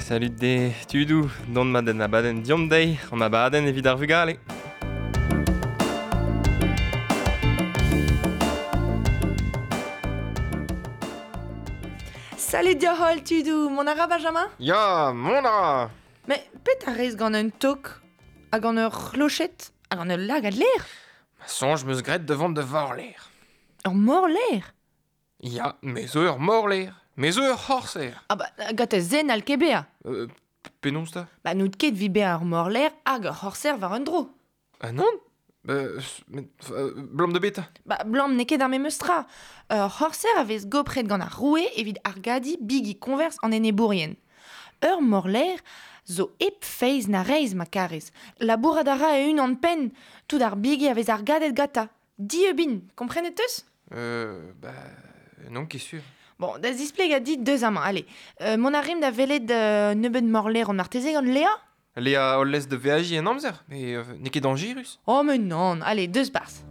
Salut de tudoù, dont mat en abadenn Diomp dezhi, an abadenn evit ar vugale. Salut deoc'h holl tudoù, mont a ra Benjamin? Ya, mont a ra! Mais petra rez gant un tok ha gant ur c'hloched ha gant ul lagad lêr? Ma soñj 'm eus graet da vont da vorlaer. Ur morlaer? Ya, me zo ur morlaer. Me zo ur c'horser. Ah bah, gant ur zen n'hall ket bezañ. Penaos 'ta? Bah n'out ket 'vit bezañ ur morlaer hag ur c'horser war un dro. Ah nann? Met 'blam da betra? Bah 'blam n'eo ket ar memes tra. Ur c'horser a vez gopret gant ar roue evit argadiñ bigi koñvers an enebourien. Ur morlaer zo hep feiz na reizh ma karez. Labourat a ra e-unan-penn. Tout ar bigi a vez argadet gantañ. Dieub int, komprenet 'teus? Bah n'on ket sur. Bon, da zisplegañ dit deus amañ, allez. Mont a rimp da welet nebeut morlaeron marteze gant Léa? Léa hol lez da veajiñ en amzer, mais n'eo ket dañjerus. Oh mais non, allez, deus 'barzh.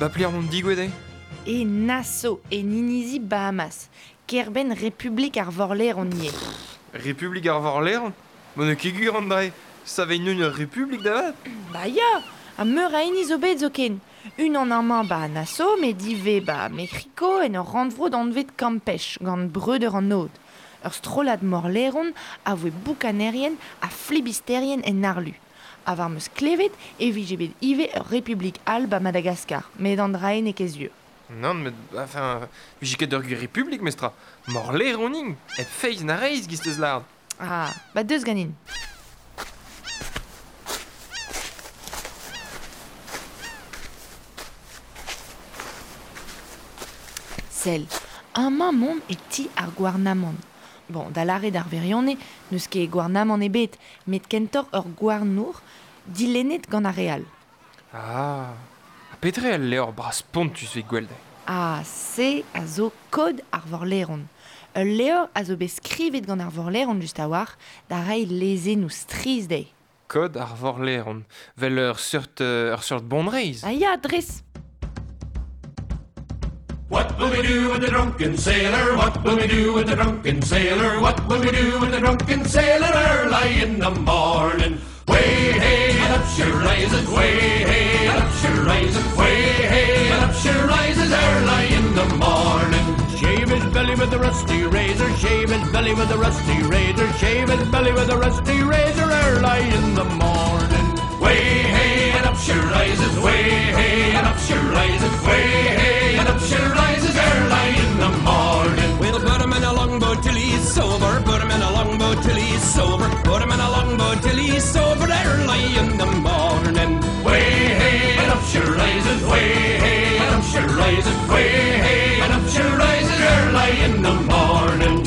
Ba pelec'h on digouezhet eo? E Nassau, en inizi Bahamas, kêr-benn Republik ar Vorlaeron ivez. Republik ar Vorlaeron? Ma n'eo ket gwir an dra-se. Savet ur republik da vat? Ba ya, ha meur a hini zo bet zoken. Unan amañ ba Nassau, met ivez ba Mec'hiko en ur rannvro anvet Campeche gant breudeur an Aod. Ur strollad morlaeron a voe boukanerien ha flibisterien en harlu. Ha war 'm eus klevet e vije bet ivez ur republik all ba Madagaskar, met an dra-se n'eo ket sur. Nann, met enfin, vije ket ur gwir republik mestra. Morlaeron int, hep feiz na reizh, 'giz 'teus lâret. Ah, ba deus ganin. Sell, amañ 'maomp e ti ar gouarnamant. Bon, da lâret ar wirionez, n'eus ket gouarnamant ebet, met kentoc'h ur gouarnour dilennet gant ar re all. Ah, ha petra eo al levr bras-spontus 'vit gwelet? Ah, se a zo kod ar vorlaeron. Ul levr a zo bet skrivet gant ar vorlaeron just a-walc'h da reiñ lezennoù strizh dezhe. Kod ar vorlaeron, 'vel ur seurt ur seurt bonreizh. Ah ya, dres. What will we do with the drunken sailor? What will we do with the drunken sailor? What will we do with the drunken sailor early in the morning? Way hey and up she rises, way hey and up she rises, way hey and up she rises early in the morning. Shave his belly with a rusty razor, shave his belly with a rusty razor, shave his belly with a rusty razor early in the morning. Way hey and up she rises, way hey and up she rises, way hey and up she rises early in the morning. We'll put him in a longboat till he's sober, put him in a longboat till he's sober, put him in a longboat till he's sober early in the morning. Way hey and up she rises, way hey and up she rises, way hey and up she rises early in the morning.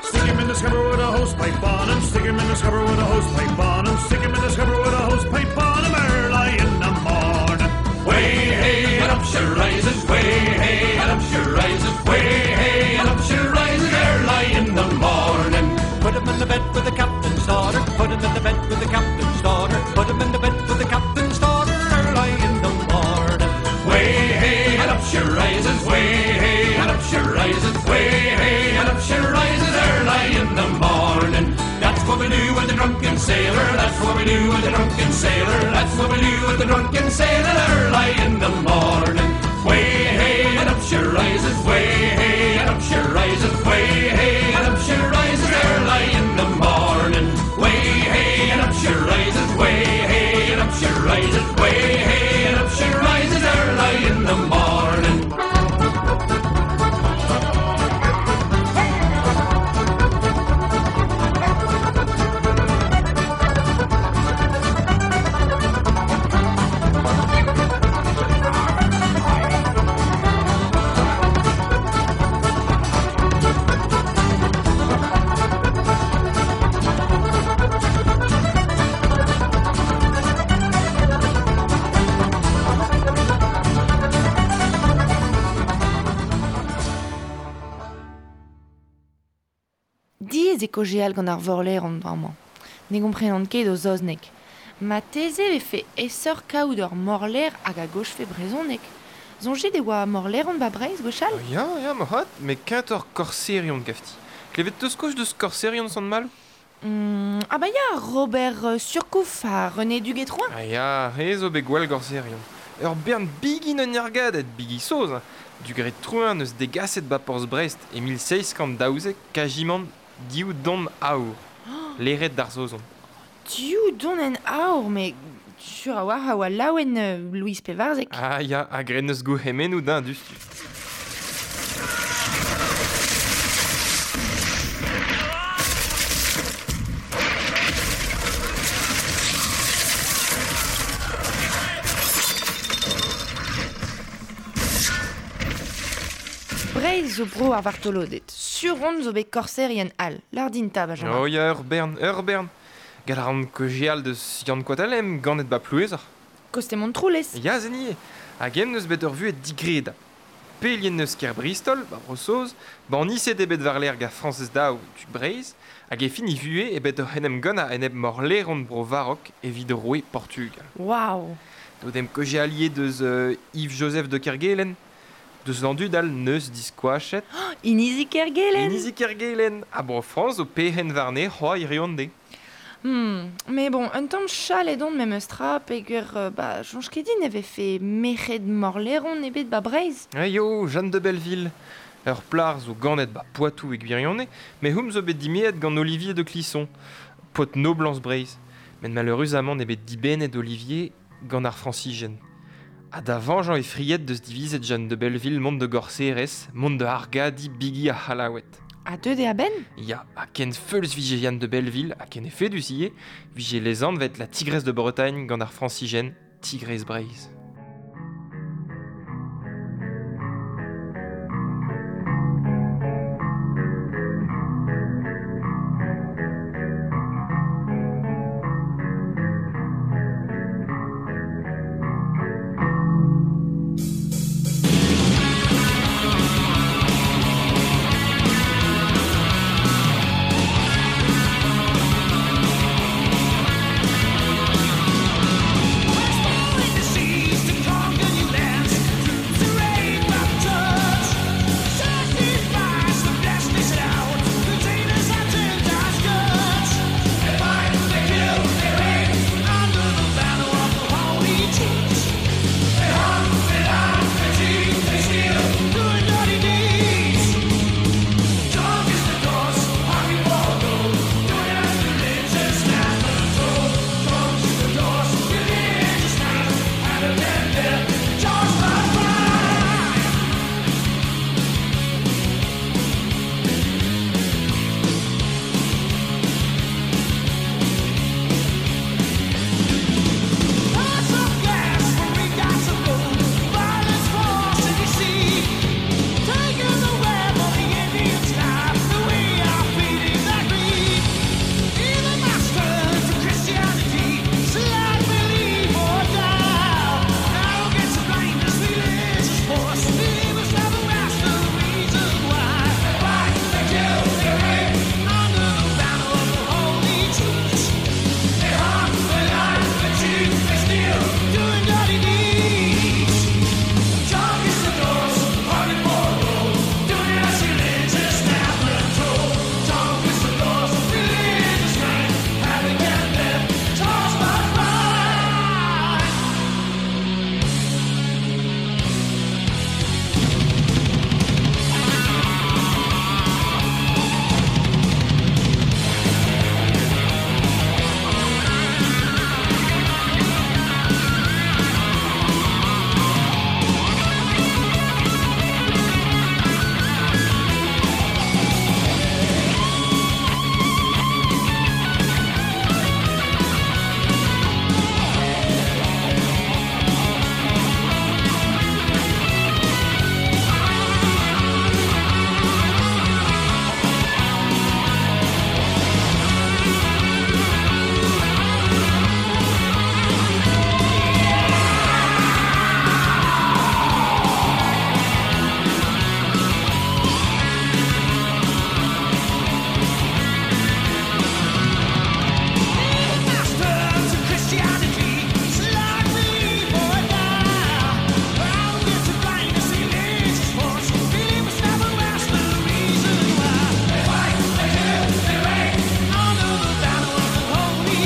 Stick him in the scupper with a hose pipe on him, stick him in the scupper with a hose pipe on him, stick him in the scupper with a hose pipe on him early in the morning. Way hey and up she rises, way hey and up she rises, way hey and up she rises early in the morning. Put him in the bed with the captain's daughter, put him in the bed with the captain's daughter, put him in the bed with the captain's daughter early in the morning. Way hey and up she rises, way hey and up she rises, way hey and up she rises early in the morning. That's what we do with the drunken sailor, that's what we do with the drunken sailor, that's what we do with the drunken sailor early in the morning. Way hey and up she rises, way hey and up she rises, way hey and up she rises early in the morning. Way hey and up she rises, way hey and up she rises, way hey and up she rises early in the morning. Diaes eo kaozeal gant ar vorlaeron bremañ. Ne gomprenan ket o saozneg. Marteze e vefe aesoc'h kaout ur morlaer hag a gaozfe brezhoneg. Soñjit e oa morlaeron 'ba Breizh gwechall? Ya, ya, moarvat, met kentoc'h korserion gafti. Klevet 'teus kaoz deus korserion Sant-Maloù? Ah bah ya, Robert Surcouf ha René Duguay-Trouin. Ah ya, re zo bet gwall gorserion. Ur bern bigi n'un ergadet, bigi saoz. Hein. Duguay-Trouin neus degaset ba porzh Brest e 1712 kajimant div don aour. Leret d'ar Saozon. Div donenn aour, met sur a-walc'h a oa laouen Louis Pevarzek. Ah ya, ha graet neus gourc'hemennoù din diouzhtu. Breizh zo bro ar vartoloded. Sur on zo bet korserien all. Lâr din 'ta, Benjamin. Oh ya, ur bern, ur bern. Gall a ran kaozeal deus Yann Koatalem, ganet 'ba Plouezoc'h. Koste Montroulez. Ya, se nie. Hag eñ neus bet ur vuhez digredapl. Pelien neus kêr Bristol, 'ba Bro-Saoz, banniset eo bet war-lerc'h gant Frañsez Daou, tu Breizh, hag e fin e vuhez eo bet oc'h en em gannañ enep morlaeron Bro-Varok evit roue Portugal. Waouh. Daou dem kaozeal ivez deus Yves-Joseph de Kerguelen, deus an dud all neus diskoachet. Inizi Kergelen. Inizi Kergelen. Ha Bro-Frañs zo perc'henn warne c'hoazh hiziv an deiz. Mais bon, un tamm chalet on memes tra peogwir bah soñj ket din e vefe merc'hed morlaeron ebet 'ba Breizh. Aio, Jeanne de Belleville. Ur plac'h zo ganet 'ba Poitou e gwirionez, met houm zo bet dimezet gant Olivier de Clisson, paotr noblañs Breizh. Met maleüruzamant eo bet dibennet Olivier gant ar Frañsizien. Ha da veñjañ he fried deus divizet Jeanne de Belleville mont da gorserez, mont da argadiñ bigi ar C'hallaoued. Ha deuet eo a-benn? Ya, ha ken feuls vije Yann de Belleville, ha ken efedus ivez, vije lesanvet la Tigresse de Bretagne gant ar Frañsizien, Tigrez Breizh.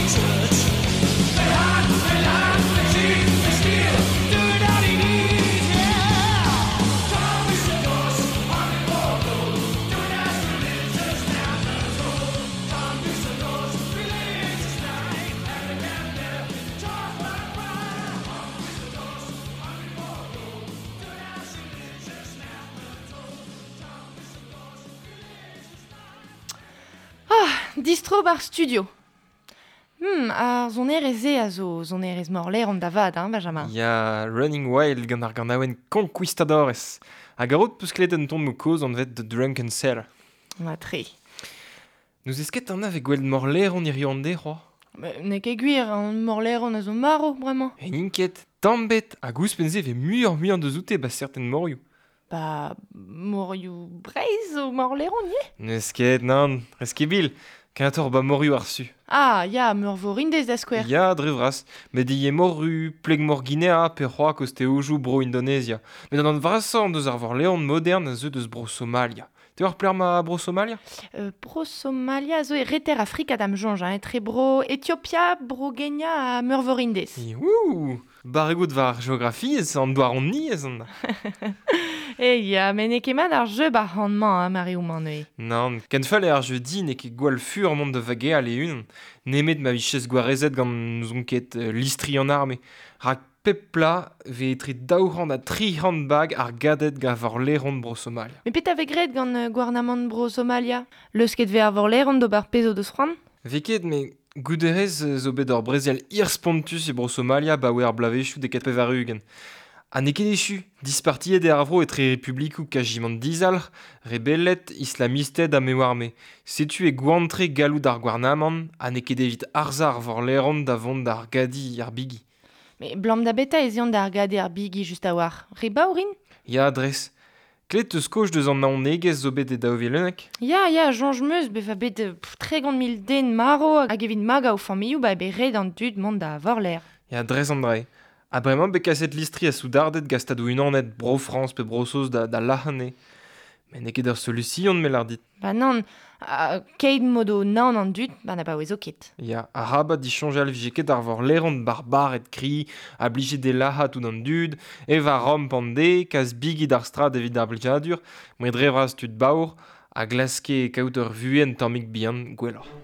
church. They hide, they lie, they cheat, they steal, do it all he needs, yeah. Conquistadors, army warlord, doing as religious now control. Conquistadors, religious night, and they can never talk like pride. Conquistadors, army warlord, doing as religious now control. Conquistadors, religious night. Distro bar studio. Ar sonerez e a zo sonerez morleron da vat, hein, Benjamin. Ya Running Wild gant ar ganaouenn Conquistadores. Hag ar peus klevet un ton mo kozh anvet The Drunken Sailor. Ma tre. Nous esket an ave gweld morleron hirio an de, c'hoa. N'eo ket gwir, an morleron a zo maro, bremañ. En inket, tamm bet, hag ouzhpenn-se ve muioc'h muiañ deus oute ba certain morioù. Ba, morioù Breizh o morleron, ye? N'eus ket, nann, rez ket bil, kentoc'h ba morioù ar su. Ah, ya, meur vo rindez da skouer. Ya, dre vras, met ivez moru, pleg mor Guinea, pe c'hoa kosteojoù bro Indonezia. Met an vrasañ deus ar vorleon modern a zeu deus bro Somalia. Te war pler ma bro Somalia? Bro Somalia a zo e reter Afrika da'm soñj, hein, etre bro Etiopia, bro Kenya ha meur vo rindez. Ouh, barregout war geografiezh, an douaroniezh an. E ya, met n'eo ket mat ar jeu ba han-mañ, hein, Mario-mañ neuze. Nann, ken fall eo ar jeu di n'eo ket gwall fur mont da vageal e-unan, nemet ma vichez gwarezet gant n'ouzon ket listri an arme. Rak pep pla ve etre 200 ha 300 bag ar gadet gant vorleron bro Somalia. Met petra vez graet gant gouarnamant bro Somalia? Leusket vez ar vorleron d'ober pezh o deus c'hoant? Vez ket, met gouderez zo bet ur brezel hir spontus e bro Somalia ba oe ar blavezhioù de ket pevar-ugent. Ha n'eo ket echu, dispartiet eo ar vro etre republikoù kajimant dizalc'h, rebellet, islamisted ha me oar me. Setu e gwantre galloud ar gouarnamant, ha n'eo ket evit arzañ ar vorleron da vont d'ar gadi ar bigi. Mais blam da beta ez eont d'ar gadi ar bigi just a-walc'h. Re baour int? Ya, dres. Klet eus koch deus an naonegezh zo bet e 2011? Ya, ya, soñj 'm eus bezañ bet 30 000 den maro hag evit magañ o familhoù ba bet ret an dud mont da vorler. Ya, dres an dra. Ha bremañ bet kaset listri a soudarded gant Stadoù Unanet, Bro-Frañs pe Bro-Saoz da lac'hañ. Met n'eo ket ur solution, me lâr dit. Ba nann, keit modo naon an dud, ba na paouezo ket. Ya, arabat disoñjal vije ket ar vorleron barbared kri, a blije de lac'hañ tout an dud, eva ramp an de, kas bigi d'ar strad evit ar blijadur, met dre vras tud baour, a glaske kaout ur vuhez un tammig bihan gwelloc'h.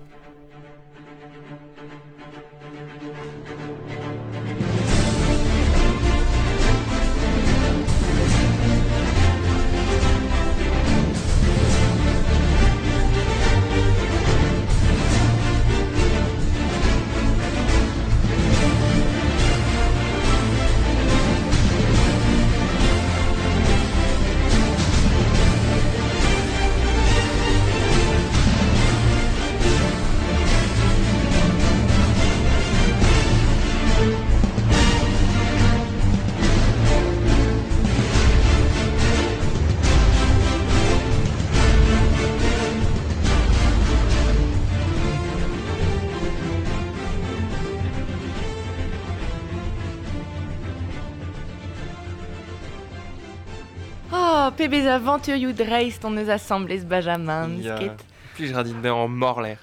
Oh, pebezh avanturioù dreist on eus asambles, Benjamin, Ya. ket. Plij ra din bezañ morler.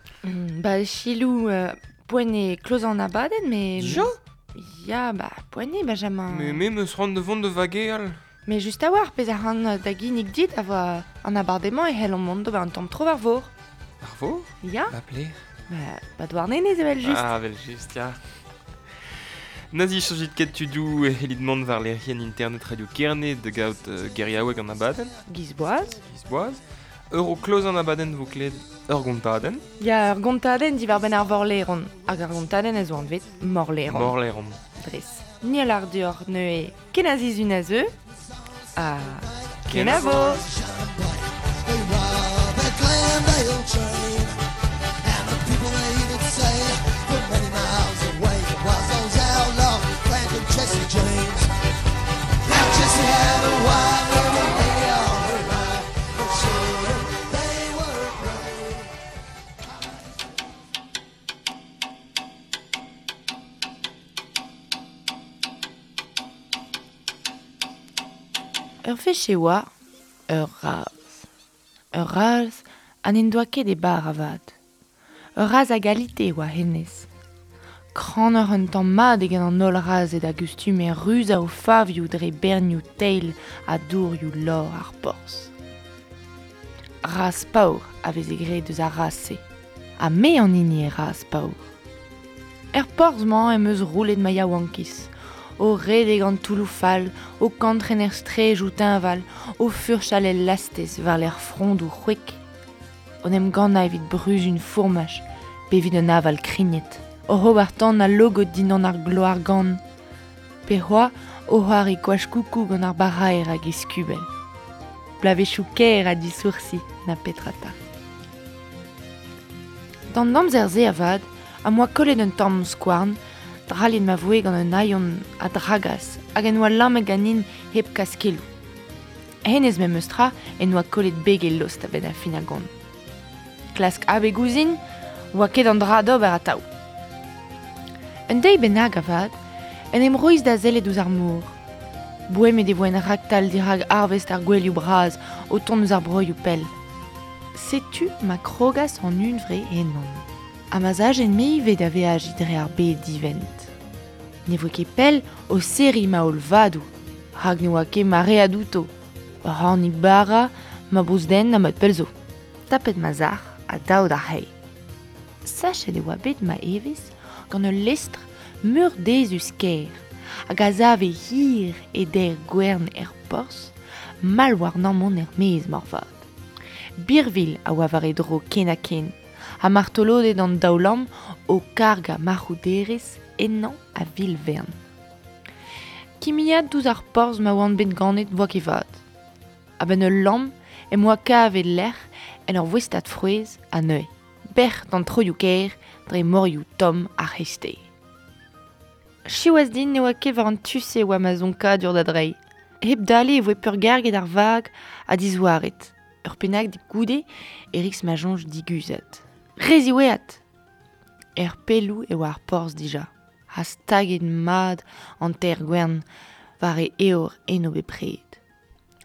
Ba, chilou, poent eo kloz an abadenn, mais... Dija? Ya, ba, poent eo, Benjamin. Mais me meus c'hoant da vont da vageal. Mais just a-walc'h, pezh a ran da ginnig dit a voa an abardaez-mañ e c'hellomp mont d'ober un tamm tro war vor. Ar vor? Ya. Ba pler. Ba Douarnenez evel just. Ah, evel just, ya. Nazi soñjit ket tudoù e c'hellit mont war lec'hienn internet Radio Kerne da gaout geriaoueg an abadenn. Gizboaz. Gizboaz. Ur o kloz an abadenn vo klevet ur gontadenn. Ya, ur gontadenn diwar-benn ar vorleron. Hag ar gontadenn a zo anvet Morleron. Morleron. Dres. Ni a lar deoc'h neuze kenazizun a zeu. Ha kenavo! They rob the Glenvale train, and the people they even say from many miles away was those outlaws, Frank and Jesse James. Now Jesse had a wife and a lady all her life, but sure they were brave. Ur wech e oa ur raz. Ur raz ha n'en doa ket e bar avat. Ur raz a galite e oa hennezh. Kranoc'h un tamm mat eget an holl razhed a gustume ruzañ o favioù dre bernioù teil ha dourioù lor ar porzh. Razh paour a veze graet eus ar razh-se. Ha me an hini eo razh paour. Er porzh-mañ em eus roulet ma yaouankiz, o redek an toulloù fall, o kantren er straejoù teñval, o furchal el lastez war-lerc'h frondoù c'hwek, en em gannañ evit bruzun fourmaj pe evit un aval krignet, oc'h ober tan al logod dindan ar gloar-gann, pe c'hoazh o c'hoari koach-koukou gant ar baraer hag e skubell. Bloavezhioù kaer ha disoursi, na petra 'ta. D'an amzer-se avat am boa kollet un tamm skouarn, drallet ma voe gant un hailhon a dragas hag en doa lammet ganin hep kas keloù. Hennezh memes tra en doa kollet beg e lost a-benn ar fin a gont. Klask abeg ouzhin 'oa ket an dra d'ober atav. Un deiz bennak avat en em rois da sellet ouzh ar mor. Boemet e voen raktal dirak arvest ar gouelioù bras o tont eus ar broioù pell. Setu ma krogas an hunvre ennon. Ha ma 'z ajen-me ivez da veajiñ dre ar bed divent. Ne voe ket pell o serriñ ma holl vadoù, rak ne oa ket maread outo. Ur c'hornig bara, ma bouzden ha mat pell zo. Tapet ma sac'h ha dav d'ar c'hae. Sachet e oa bet ma evezh gant ul lestr meurdezus-kaer hag a save hir e deir gwern er porzh, mall warnañ mont er-maez moarvat. Birvilh a oa war e dro ken-ha-ken, ha martoloded an daoulamm o kargañ marc'hoù-derez ennañ a-vil-vern. Kimiad ouzh ar porzh ma oan bet ganet 'voa ket vat. A-benn ul lamm em boa kavet lec'h en ur voestad frouezh ha neuze bec'h d'an troioù-kaer dre morioù tomm ar c'hreisteiz. Siwazh din ne oa ket war an tu-se e oa ma zonkadur da dreiñ. Hep dale e voe peurgarget ar vag ha dizouaret. Ur pennad goude e ris ma soñj diguzhat. Re ziwezhat ! Er pelloù e oa ar porzh dija, ha staget mat an teir-gwern war e eor eno bepred.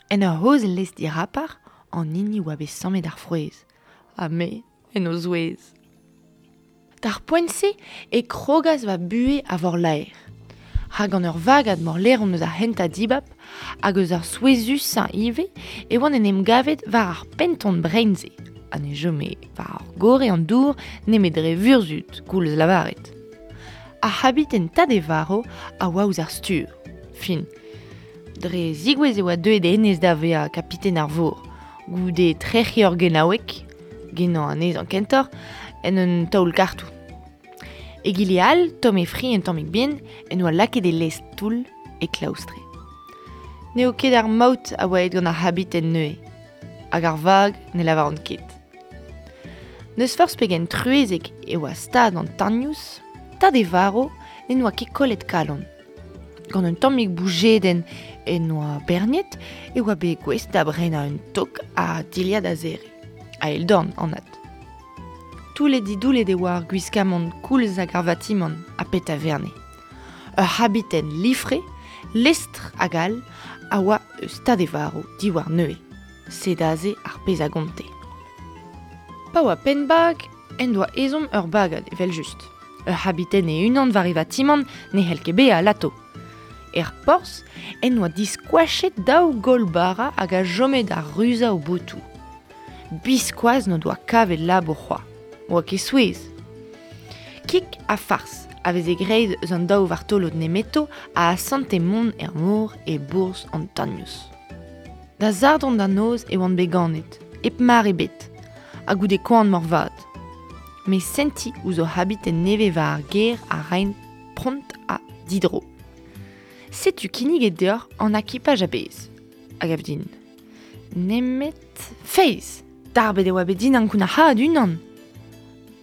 En ur c'hozh lez dirapar an hini oa bet sammet ar frouezh, ha me en o zouez. D'ar poent-se e krogas va buhez a vorlaer. Rak gant ur vagad morlaeron eus ar c'hentañ dibab hag eus ar souezhusañ ivez e oan en em gavet war ar penton brein-se ha ne chome war ar gorre an dour nemet dre vurzhud, koulz lavaret. Ar c'habiten tad e varv a oa ouzh ar stur. Fin. Dre zigouezh e oa deuet hennezh da vezañ kapiten ar vor, goude trec'hiñ ur genaoueg, genañ anezhañ kentoc'h, en un taol kartoù. Egile all, tomm e fri un tammig bihan, en doa lakaet e lez toull e klaoustre. N'eo ket ar maout a oa aet gant ar c'habiten neuze, hag ar vag ne lavaran ket. N'eus forzh pegen truezek e oa stad an tagnous, tad e varv n'en doa ket kollet kalon. Gant un tammig boujedenn en doa berniet e oa bet gouest da brenañ un tok ha dilhad a-zere. A-eil-dorn, anat. Toullet-didoullet e oa ar gwiskamant koulz hag ar vatimant, ha petra verne. Ur c'habiten lifre, lestr hag all, a oa eus tad e varv diwar neuze. Sed aze ar pezh a gonte. Pa oa penn-bag, en doa ezhomm ur bagad, evel-just. Ur c'habiten e-unan war e vatimant ne c'hell ket bezañ alato. Er porzh en doa diskoachet daou gaol bara hag a chome da ruzañ o botoù. Biskoazh n'o doa kavet labour c'hoazh. Oa ket souezh. Kig ha fars a veze graet eus an daou vartolod nemeto a asante mont er mor e bourzh an Tagnous. Da sadorn da noz e oan bet ganet, hep mar ebet, ha goude koan moarvat. Met sentiñ ouzh o c'habiten nevez war ar gêr a raent pront ha didro. Setu kinniget deoc'h an akipaj a-bezh, a gav din. Nemet feiz! Darbet e oa bet din ankounac'haat unan!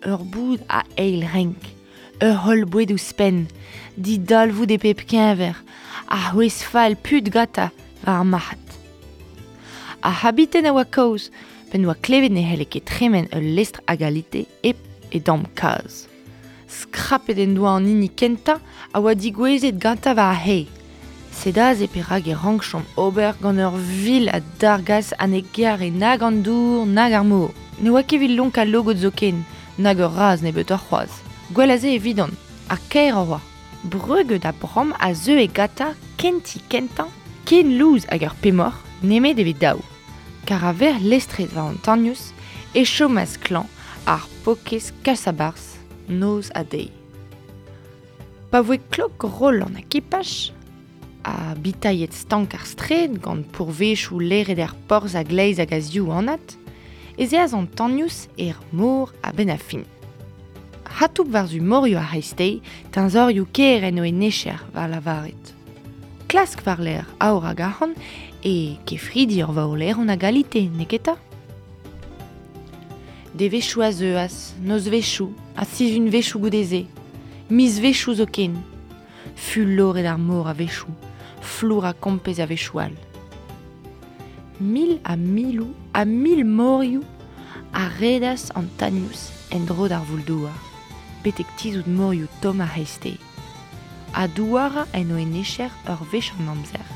Ur boud a eil renk, ur c'holl boued ouzhpenn, didalvoud e pep keñver, ha c'hwezh fall put gantañ war ar marc'had. Ar c'habiten a oa kaoz p'en doa klevet ne c'helle ket tremen ul lestr a galite hep e damm kazh. Skrapet en doa an hini kentañ a oa degouezhet gantañ war ar c'hae. Sed aze perak e rankjomp ober gant ur vil a dargas ha ne gare nag an dour nag ar mor. Ne oa ket evit lonkañ logod zoken, nag ur razh nebeutoc'h c'hoazh. Gwell a se evidon. Ha kaer a oa. Breuget ha bramm a zeue gantañ kenti kentañ, ken louz hag ur pemoc'h, nemet evit daou. Kar a-vec'h lestret war an Tanious e chomas klañv ar paourkaezh kas-a-barzh noz ha deiz. Pa voe klok roll an akipaj, ha bitailhet stank ar straed gant pourvezioù laeret er porzh a-gleiz hag a-ziv anat, ez eas an Tanious er mor a-benn ar fin. Hatoup war-zu morioù ar c'hreisteiz, teñzorioù kêr en o enecher, war lavaret. Klask war-lerc'h aour hag arc'hant e kefridi ur vaoleron a galite, neketa? Devezhioù a zeuas, nozvezhioù ha sizhunvezhioù goude-se, mizvezhioù zoken. Fuloret ar mor a-wechoù, flour ha kompez a-wechoù all. Mil ha miloù ha mil morioù a redas an Tanious en-dro d'ar voul-douar, betek tizhout morioù tomm ar c'hreisteiz. Ha douarañ en o enecher ur wech an amzer,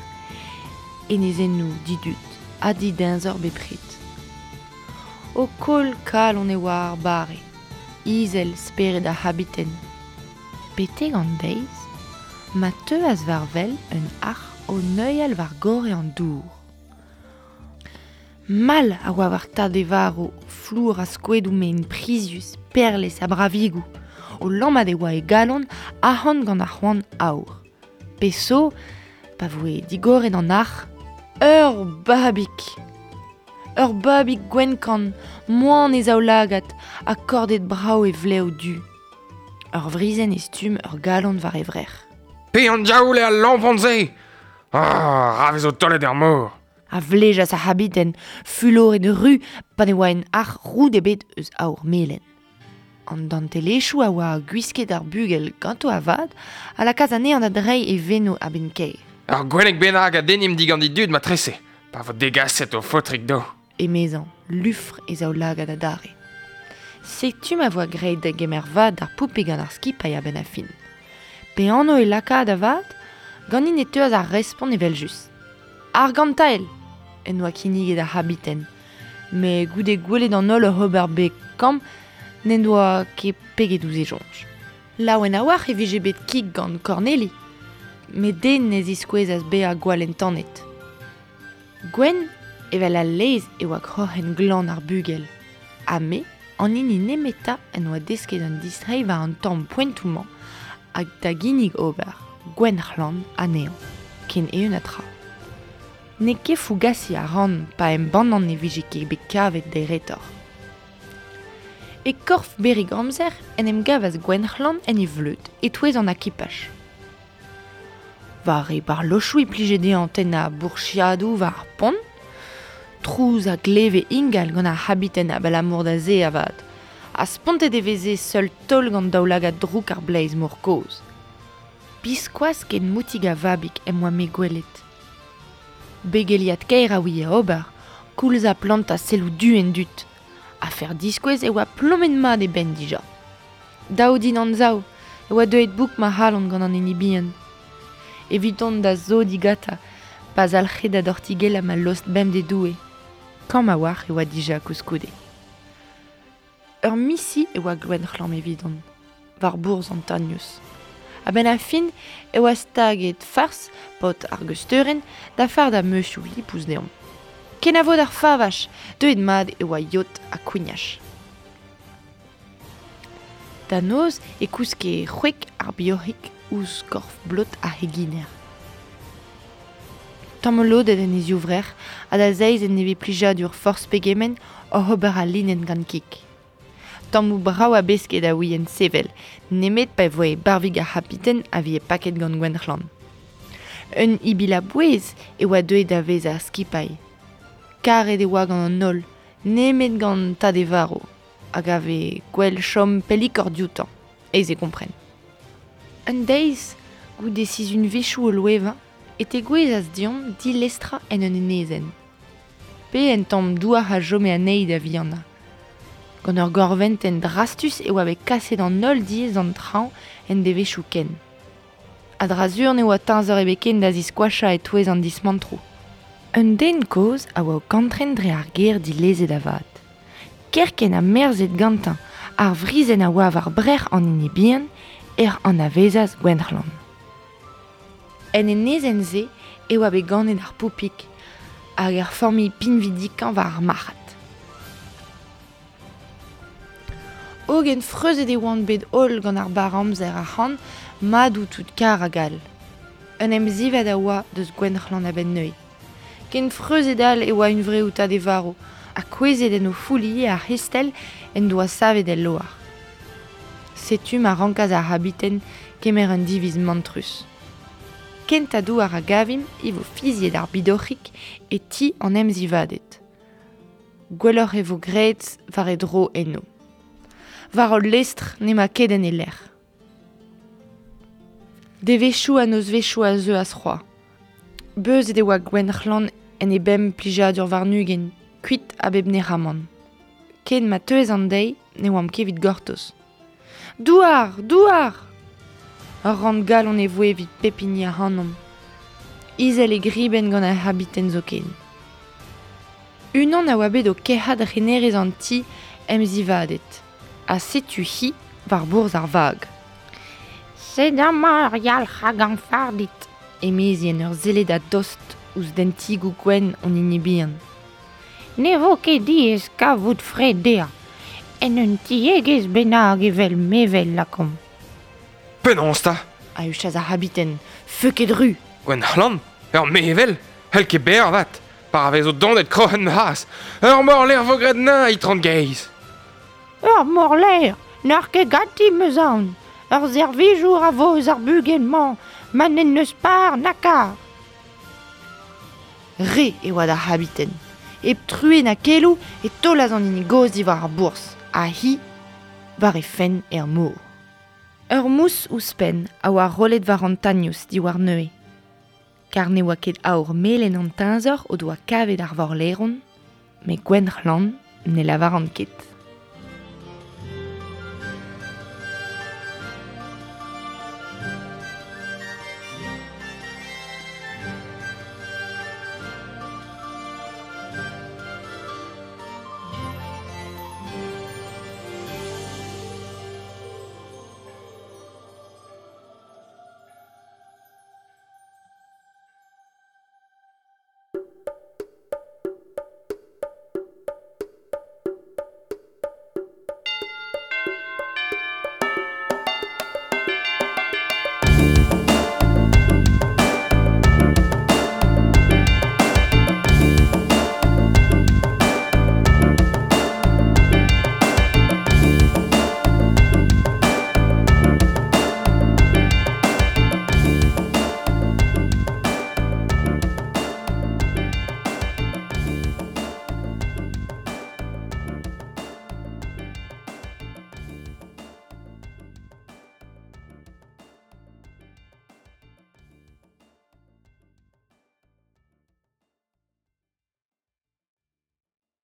enezennoù didud ha dideñzor bepred. O koll kalon e oa ar bare, izel spered ar c'habiten. Betek an deiz ma teuas war wel un arc'h o neuial war gorre an dour. Mall a oa war tad e varv, flour a skoedoù mein prizius, perlez ha bravigoù. O lammat e oa e galon arc'hant gant ar c'hoant aour. Pezh zo, pa voe digoret an arc'h, ur babig! Ur babig gwenn-kann, moan e zaoulagad ha kordet brav e vlev du. Ur vrizhenn e stumm ur galon war e vrec'h. Pe an diaoul eo al lampon-se? Ah, ra vezo taolet er mor! A vlejas ar c'habiten, fuloret ru pa ne oa en arc'h roud ebet eus aour melen. An dantelezhioù a oa gwisket ar bugel ganto avat a lakaas anezhañ da dreiñ e veno a-benn-kaer. Ur gwenneg bennak a dennimp digant e dud matrese, pa vo degaset o faotrig dezho. Emezañ, lufr e zaoulagad adarre. Setu ma voa graet da gemer vad d'ar poupe gant ar skipailh a-benn ar fin. Pe anv e lakaat avat? Ganin e teuas ar respont evel-just. Argantael! en doa kinniget ar c'habiten. Met goude gwelet an holl oc'h ober beg kamm, n'en doa ket peget ouzh e soñj. Laouen a-walc'h e vije bet kig gant Korneli, met den ne ziskouezas bezañ gwall entanet. Gwenn evel al laezh e oa kroc'hen glan ar bugel, ha me, an hini nemetañ en doa desket an distreiñ war an tamm poentoù-mañ hag da ginnig ober gwenn-c'hlan anezhañ, ken eeun ha tra. N'eo ket fougasiñ a ran pa embannan ne vije ket bet kavet deretoc'h. E korf berrig amzer en em gavas Gwenc'hlan en e vleud e-touez an akipaj. War e barlochoù e plije dezhañ tennañ bourchiadoù war ar pont. Trouz a gleve ingal gant ar c'habiten abalamour da se avat, ha spontet e veze seul taol gant daoulagad drouk ar bleiz-mor kozh. Biskoazh ken moutig a vabig em boa-me gwelet. Begeliat-kaer a ouie ober, koulz ha plantañ selloù du en dud. Afer diskouez e oa plomet-mat e benn dija. Dav din anzav e oa deuet bouk ma c'halon gant an hini bihan. Eviton da sodiñ gantañ pa zalc'he da dortigellañ ma lost bemdez-Doue. Kamm a-walc'h e oa dija koulskoude. Ur misi e oa Gwenc'hlan evidon, war bourzh an Tanious. A-benn ar fin e oa staget fars paotr ar geusteurenn da fardañ meuzioù lipous deomp. Kenavo d'ar favaj, deuet mat e oa yod ha kouignach. Da noz e kouske c'hwek ar bioc'hig ouzh korf blot ar c'heginer. Tamolodet en e zivrec'h ha da zeiz en nevez plijadur forzh pegement oc'h ober al linenn gant kig. Tammoù brav a besked a ouient sevel, nemet pa voe barvig ar c'habiten a vije paket gant Gwenc'hlan. Un ibil a-bouez e oa deuet da vezañ ar skipailh. Karet e oa gant an holl, nemet gant tad e varv, hag a vez gwell chom pellikoc'h dioutañ, aes eo kompren. Un deiz, goude sizhunvezhioù o loevañ, e tegouezhas deomp dilestrañ en un enezenn. Pe en tamm douar a chome anezhi da vihanañ. Gant ur gorventenn drastus e oa bet kaset an holl diez d'an traoñ en devezhioù kent. A-dra-sur ne oa teñzor ebet ken da ziskoachañ e-touez an dismantroù. Un den kozh a oa o kantren dre ar gêr dilezet avat. Kerkent ha merzet gantañ ar vrizhenn a oa war brec'h an hini bihan ec'h anavezas Gwenc'hlan. En enezenn-se e oa bet ganet ar Poupig hag ar familh pinvidikañ war ar marc'had. Hogen freuzet e oant bet holl gant ar barr-amzer ac'hann madoù tout kar hag all. Un emzivad a oa deus Gwenc'hlan a-benn neuze. Ken freuzet all e oa hunvreoù tad e varv ha kouezhet en o foull ivez ar c'hestell en doa savet el loar. Setu ma rankas ar c'habiten kemer un diviz mantrus. Kentañ douar a gavimp e vo fiziet ar bidoc'hig e ti an emzivaded. Gwelloc'h e vo graet war e dro eno. War hol lestr n'emañ ket en e lec'h. Devezhioù ha nozvezhioù a zeuas c'hoazh. Beuzet e oa Gwenc'hlan en e bemp plijadur warn-ugent, kuit a bep nec'hamant. Ken ma teuas an deiz ne oamp ket evit gortoz. Douar! Douar! Ur rann-galon e voe evit pep hini ac'hanomp. Izel e gribenn gant ar c'habiten zoken. Unan a oa bet o kerc'hat renerez an ti emzivaded, ha setu-hi war bourzh ar vag. Sed amañ ur yalc'h a ganfarded, emezi en ur sellet a-dost ouzh dentigoù gwenn hon hini bihan. Ne vo ket diaes kavout fred dezhañ, en un tiegezh bennak evel mevel lakaomp. Penaos 'ta? A huchas ar c'habiten, feuket-ru. Gwenc'hlan, ur mevel, c'hell ket bezañ avat, pa vezo donet kroc'hen ma c'hazh. Ur morlaer 'vo graet neuze, itron gaezh. Ur morlaer n'eur ket ganti 'm eus aon. Ur servijour a vo eus ar bugel-mañ ma n'en deus par na kar. Re e oa d'ar c'habiten. Hep truez na keloù e taolas an hini gozh diwar ar bourzh, ha hi war he fenn er mor. Ur mous ouzhpenn a oa rollet war an tagnous diwar neuze. Kar ne oa ket aour melen an teñzor o doa kavet ar vorlaeron, met Gwenc'hlan ne lavaran ket.